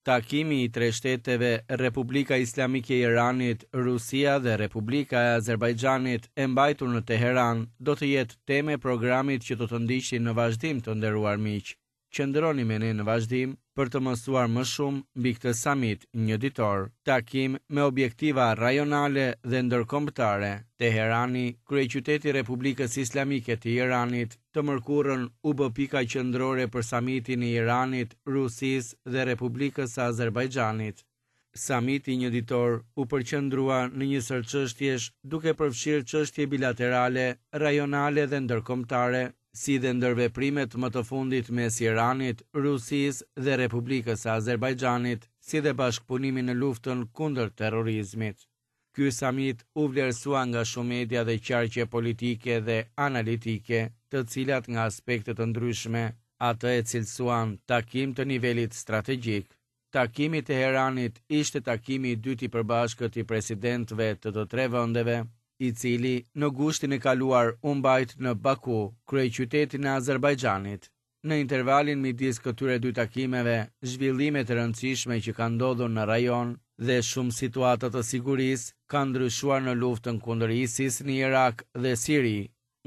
Takimi i tre shteteve, Republika Islamike e Iranit, Rusia dhe Republika e Azerbajxhanit, e mbajtur në Teheran, do të jetë temë e programit që do të ndiqni në vazhdim të nderuar miq. Qëndroni me ne në vazhdim për të mësuar më shumë mbi këtë samit njëditor. Takim me objektiva rajonale dhe ndërkombëtare. Teherani, kryeqyteti i Republikës Islamike të Iranit, të mërkurën u bë pika qendrore për samitin e Iranit, Rusisë dhe Republikës së Azerbajxhanit. Samiti njëditor u përqendrua në një sërë çështjesh, duke përfshirë çështje bilaterale, rajonale dhe ndërkombëtare, si dhe ndërveprimet më të fundit mes Iranit, Rusisë dhe Republikës së Azerbajxhanit, si dhe bashkëpunimin në luftën kundër terrorizmit. Ky samit u vlerësua nga shumë media dhe qarqe politike dhe analitike, të cilat nga aspekte të ndryshme atë e cilësuan takim të nivelit strategjik. Takimi i Teheranit ishte takimi i dytë i përbashkët i presidentëve të të tre vendeve, i cili në gushtin e kaluar u mbajt në Baku, kryeqytetin e Azerbajxhanit. Në intervalin midis këtyre dy takimeve, zhvillimet e rëndësishme që kanë ndodhur në rajon dhe shumë situata të sigurisë kanë ndryshuar në luftën kundër ISIS në Irak dhe Siri,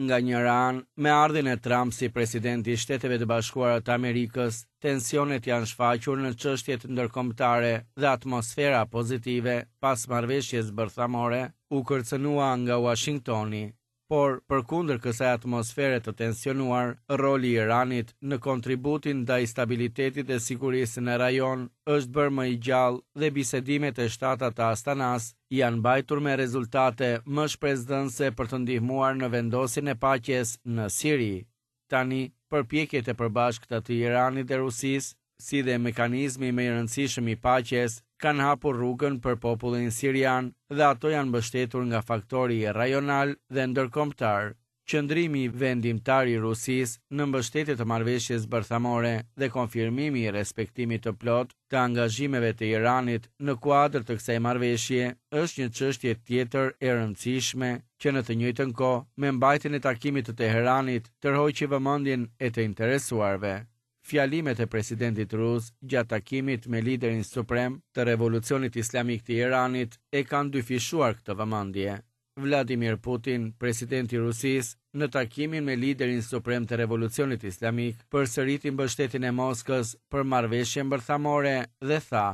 Nga njëra anë, me ardhjen e Trump si president i Shteteve të Bashkuara të Amerikës, tensionet janë shfaqur në çështjet ndërkombëtare dhe atmosfera pozitive pas marrëveshjes bërthamore u kërcënua nga Uashingtoni. Por, përkundër kësaj atmosfere të tensionuar, roli i Iranit në kontributin ndaj stabilitetit dhe sigurisë në rajon është bërë më i gjallë dhe bisedimet e shtata të Astanas janë mbajtur me rezultate më shpresëdhënëse për të ndihmuar në vendosjen e paqes në Siri. Tani, përpjekjet e përbashkëta të Iranit dhe Rusisë, si dhe mekanizmi më i rëndësishëm i paqes, kanë hapur rrugën për popullin sirian dhe ato janë mbështetur nga faktori rajonal dhe ndërkombëtar. Qëndrimi vendimtar i Rusisë në mbështetje të marrëveshjes bërthamore dhe konfirmimi i respektimit të plotë të angazhimeve të Iranit në kuadër të kësaj marrëveshje është një çështje tjetër e rëndësishme që në të njëjtën kohë me mbajtjen e takimit të Teheranit tërhoqi vëmendjen e të interesuarve. Fjalimet e presidentit rus gjatë takimit me liderin suprem të Revolucionit Islamik të Iranit e kanë dyfishuar këtë vëmendje. Vladimir Putin, presidenti i Rusisë, në takimin me liderin suprem të Revolucionit Islamik, përsëriti mbështetjen e Moskës për marrëveshjen bërthamore dhe tha,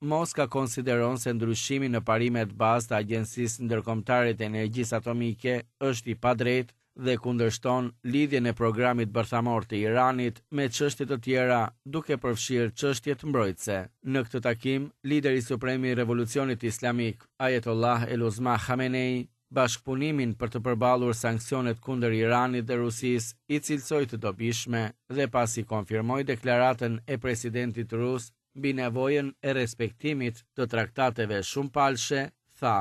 Moska konsideron se ndryshimi në parimet bazë të Agjencisë Ndërkombëtare të Energjisë Atomike është i padrejtë dhe kundërshton lidhjen e programit bërthamor të Iranit me çështje të tjera, duke përfshirë çështjet mbrojtëse. Në këtë takim, lideri suprem i Revolucionit Islamik, Ayatollah el-Uzma Khamenei, bashkëpunimin për të përballur sanksionet kundër Iranit dhe Rusisë i cilësoi të dobishme dhe pasi konfirmoi deklaratën e presidentit rus mbi nevojën e respektimit të traktateve shumëpalëshe, tha,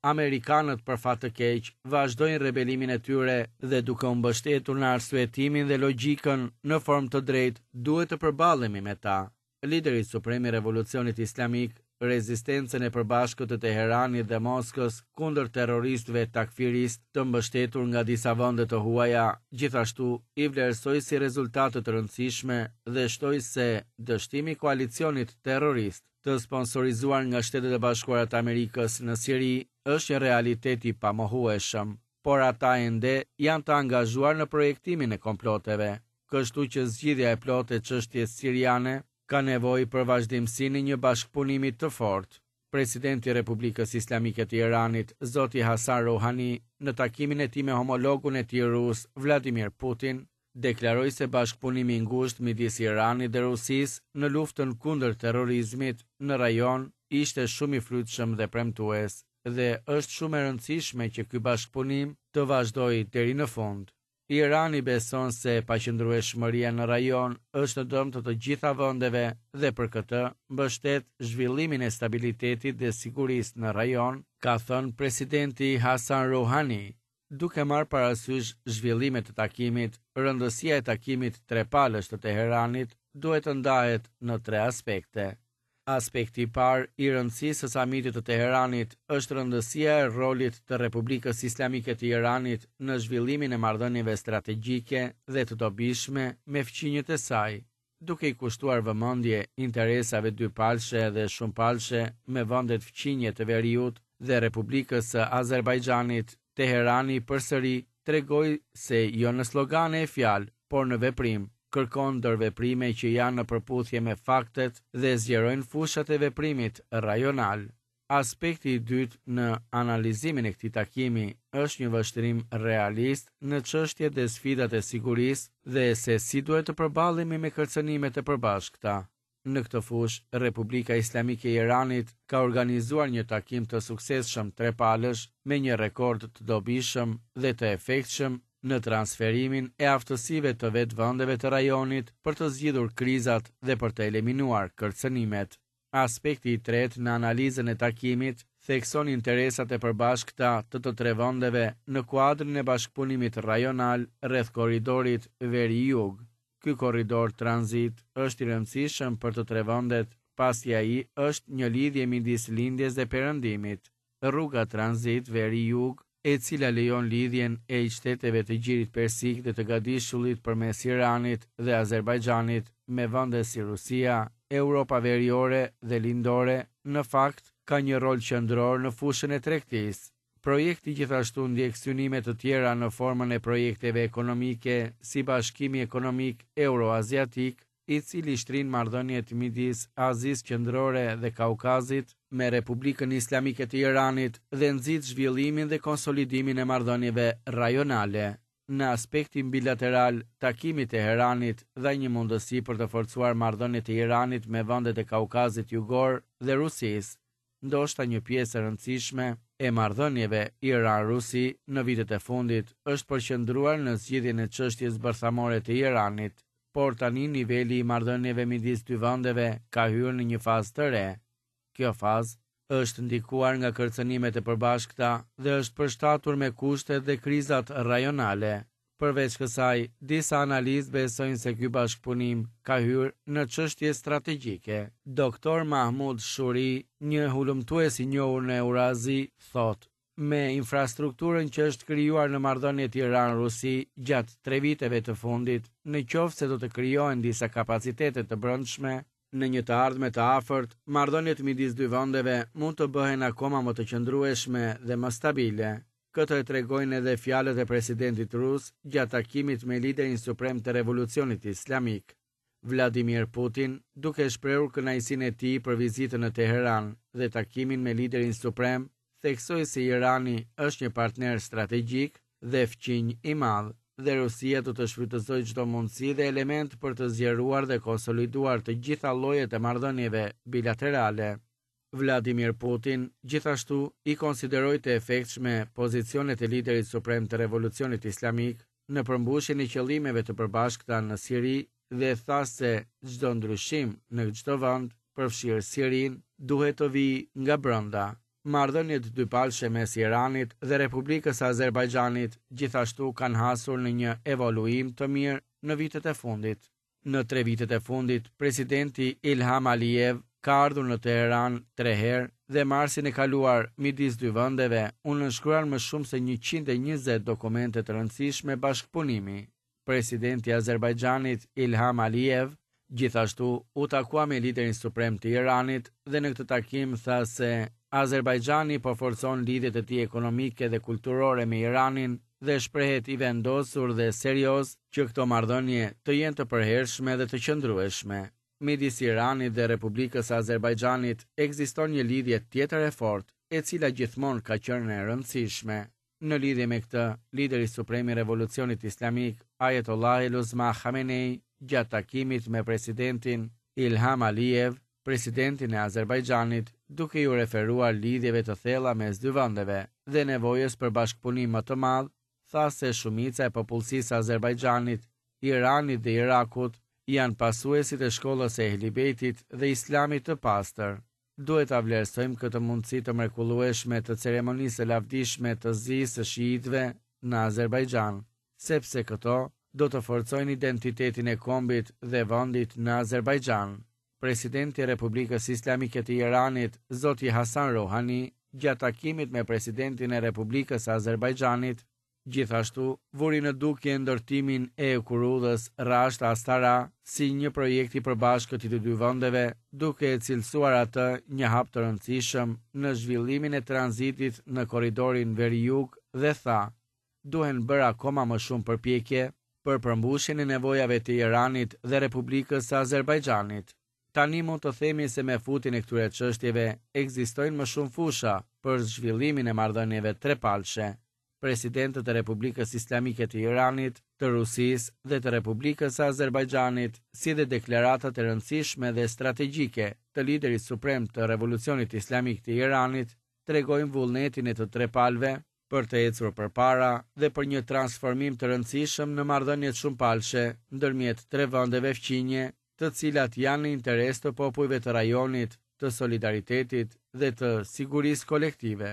Amerikanët për fat të keq vazhdojnë rebelimin e tyre dhe duke u mbështetur në arsyetimin dhe logjikën në formë të drejtë duhet të përballemi me ta. Lideri suprem i Revolucionit Islamik, rezistencën e përbashkët të Teheranit dhe Moskës kundër terroristëve takfiristë të mbështetur nga disa vende të huaja, gjithashtu i vlerësoi si rezultate të rëndësishme dhe shtoi se dështimi i koalicionit terrorist të sponsorizuar nga Shtetet e Bashkuara të Amerikës në Siri është një realitet i pamohueshëm, por ata ende janë të angazhuar në projektimin e komploteve. Kështu që zgjidhja e plotë e çështjes siriane ka nevojë për vazhdimësinë e një bashkëpunimi të fortë. Presidenti i Republikës Islamike të Iranit, zoti Hassan Rouhani, në takimin e tij me homologun e tij rus, Vladimir Putin, deklaroi se bashkëpunimi i ngushtë midis Iranit dhe Rusisë në luftën kundër terrorizmit në rajon ishte shumë i frytshëm dhe premtues dhe është shumë e rëndësishme që ky bashkëpunim të vazhdojë deri në fund. Irani beson se paqëndrueshmëria në rajon është në dëm të të gjitha vendeve dhe për këtë mbështet zhvillimin e stabilitetit dhe sigurisë në rajon, ka thënë presidenti Hassan Rouhani. Duke marrë parasysh zhvillimet e takimit, rëndësia e takimit trepalësh të Teheranit duhet të ndahet në tre aspekte. Aspekti i parë i rëndësisë së samitit të Teheranit është rëndësia e rolit të Republikës Islamike të Iranit në zhvillimin e marrëdhënieve strategjike dhe të dobishme me fqinjët e saj. Duke i kushtuar vëmendje interesave dypalëshe dhe shumëpalëshe me vendet fqinje të veriut dhe Republikës së Azerbajxhanit, Teherani përsëri tregoi se jo në slogane e fjalë, por në veprim, kërkon ndërveprime që janë në përputhje me faktet dhe zgjerojnë fushat e veprimit rajonal. Aspekti i dytë në analizimin e këtij takimi është një vështrim realist në çështjet dhe sfidat e sigurisë dhe se si duhet të përballemi me kërcënimet e përbashkëta. Në këtë fushë, Republika Islamike e Iranit ka organizuar një takim të suksesshëm trepalësh me një rekord të dobishëm dhe të efektshëm në transferimin e aftësive të vetë vendeve të rajonit për të zgjidhur krizat dhe për të eliminuar kërcënimet. Aspekti i tretë në analizën e takimit thekson interesat e përbashkëta të të tre vendeve në kuadrin e bashkëpunimit rajonal rreth korridorit veri-jug. Ky korridor tranzit është i rëndësishëm për të tre vendet, pasi ai është një lidhje midis Lindjes dhe Perëndimit. Rruga tranzit veri-jug, e cila lejon lidhjen e shteteve të Gjirit Persik dhe të Gadishullit përmes Iranit dhe Azerbajxhanit me vende si Rusia, Europa Veriore dhe Lindore, në fakt, ka një rol qendror në fushën e tregtisë. Projekti gjithashtu ndjek synime të tjera në formën e projekteve ekonomike si Bashkimi Ekonomik Euroaziatik, i cili shtrin marrëdhëniet midis Azisë Qendrore dhe Kaukazit me Republikën Islamike të Iranit dhe nxit zhvillimin dhe konsolidimin e marrëdhënieve rajonale. Në aspektin bilateral, takimi i Teheranit dha një mundësi për të forcuar marrëdhëniet e Iranit me vendet e Kaukazit Jugor dhe Rusisë. Ndoshta një pjesë e rëndësishme e marrëdhënieve Iran-Rusi në vitet e fundit është përqendruar në zgjidhjen e çështjes bërthamore të Iranit, por tani niveli i marrëdhënieve midis dy vendeve ka hyrë në një fazë të re. Kjo fazë është ndikuar nga kërcënimet e përbashkëta dhe është përshtatur me kushtet dhe krizat rajonale. Përveç kësaj, disa analistë besojnë se ky bashkëpunim ka hyrë në çështje strategjike. Doktor Mahmud Shuri, një hulumtues i njohur në Eurazi, thotë, Me infrastrukturën që është krijuar në marrëdhëniet Iran-Rusi gjatë tre viteve të fundit, në qoftë se do të krijohen disa kapacitete të brendshme, në një të ardhme të afërt, marrëdhëniet midis dy vendeve mund të bëhen akoma më të qëndrueshme dhe më stabile. Këtë e tregojnë edhe fjalët e presidentit rus gjatë takimit me liderin suprem të Revolucionit Islamik, Vladimir Putin, duke shprehur kënaqësinë e tij për vizitën në Teheran dhe takimin me liderin suprem, theksoi se Irani është një partner strategjik dhe fqinj i madh dhe Rusia do të shfrytëzojë çdo mundësi dhe element për të zgjeruar dhe konsoliduar të gjitha llojet e marrëdhënieve bilaterale. Vladimir Putin, gjithashtu, i konsideroi të efektshme pozicionet e liderit suprem të Revolucionit Islamik në përmbushjen e qëllimeve të përbashkëta në Siri dhe tha se çdo ndryshim në çdo vend, përfshirë Sirinë, duhet të vijë nga brenda. Marrëdhëniet dypalëshe mes Iranit dhe Republikës së Azerbajxhanit gjithashtu kanë hasur në një evoluim të mirë në vitet e fundit. Në tre vitet e fundit, presidenti Ilham Aliyev ka ardhur në Teheran tre herë dhe marsin e kaluar midis dy vendeve u nënshkruan më shumë se 120 dokumente të rëndësishme bashkëpunimi. Presidenti i Azerbajxhanit Ilham Aliyev gjithashtu u takua me liderin suprem të Iranit dhe në këtë takim tha se Azerbajxhani po forcon lidhjet e tij ekonomike dhe kulturore me Iranin dhe shprehet i vendosur dhe serioz që këto marrëdhënie të jenë të përhershme dhe të qëndrueshme. Midis Iranit dhe Republikës së Azerbajxhanit ekziston një lidhje tjetër e fortë, e cila gjithmonë ka qenë e rëndësishme. Në lidhje me këtë, lideri suprem i Revolucionit Islamik, Ayatollah el-Uzma Khamenei, gjatë takimit me presidentin Ilham Aliyev, presidentin e Azerbajxhanit, duke iu referuar lidhjeve të thella mes dy vendeve dhe nevojës për bashkëpunim më të madh, tha se shumica e popullsisë së Azerbajxhanit, Iranit dhe Irakut janë pasuesit e shkollës së Ehli Bejtit dhe Islamit të pastër. Duhet ta vlerësojmë këtë mundësi të mrekullueshme të ceremonisë së lavdishme të zisë së shiitëve në Azerbajxhan, sepse këto do të forcojnë identitetin e kombit dhe vendit në Azerbajxhan. Presidenti i Republikës Islamike të Iranit, zoti Hasan Rouhani, gjatë takimit me presidentin e Republikës së Azerbajxhanit, Gjithashtu, vuri në dukje ndërtimin e hekurudhës Rasht-Astara si një projekt i përbashkët i të dy vendeve, duke e cilësuar atë një hap të rëndësishëm në zhvillimin e tranzitit në korridorin veri-jug dhe tha, Duhen bërë akoma më shumë përpjekje për përmbushjen e nevojave të Iranit dhe Republikës së Azerbajxhanit. Tani mund të themi se me futjen e këtyre çështjeve ekzistojnë më shumë fusha për zhvillimin e marrëdhënieve trepalëshe. Presidentët e Republikës Islamike të Iranit, të Rusisë dhe të Republikës së Azerbajxhanit, si dhe deklaratat e rëndësishme dhe strategjike të liderit suprem të Revolucionit Islamik të Iranit, tregojnë vullnetin e të tre palëve për të ecur përpara dhe për një transformim të rëndësishëm në marrëdhëniet shumëpalëshe ndërmjet tre vendeve fqinje, të cilat janë në interes të popujve të rajonit, të solidaritetit dhe të sigurisë kolektive.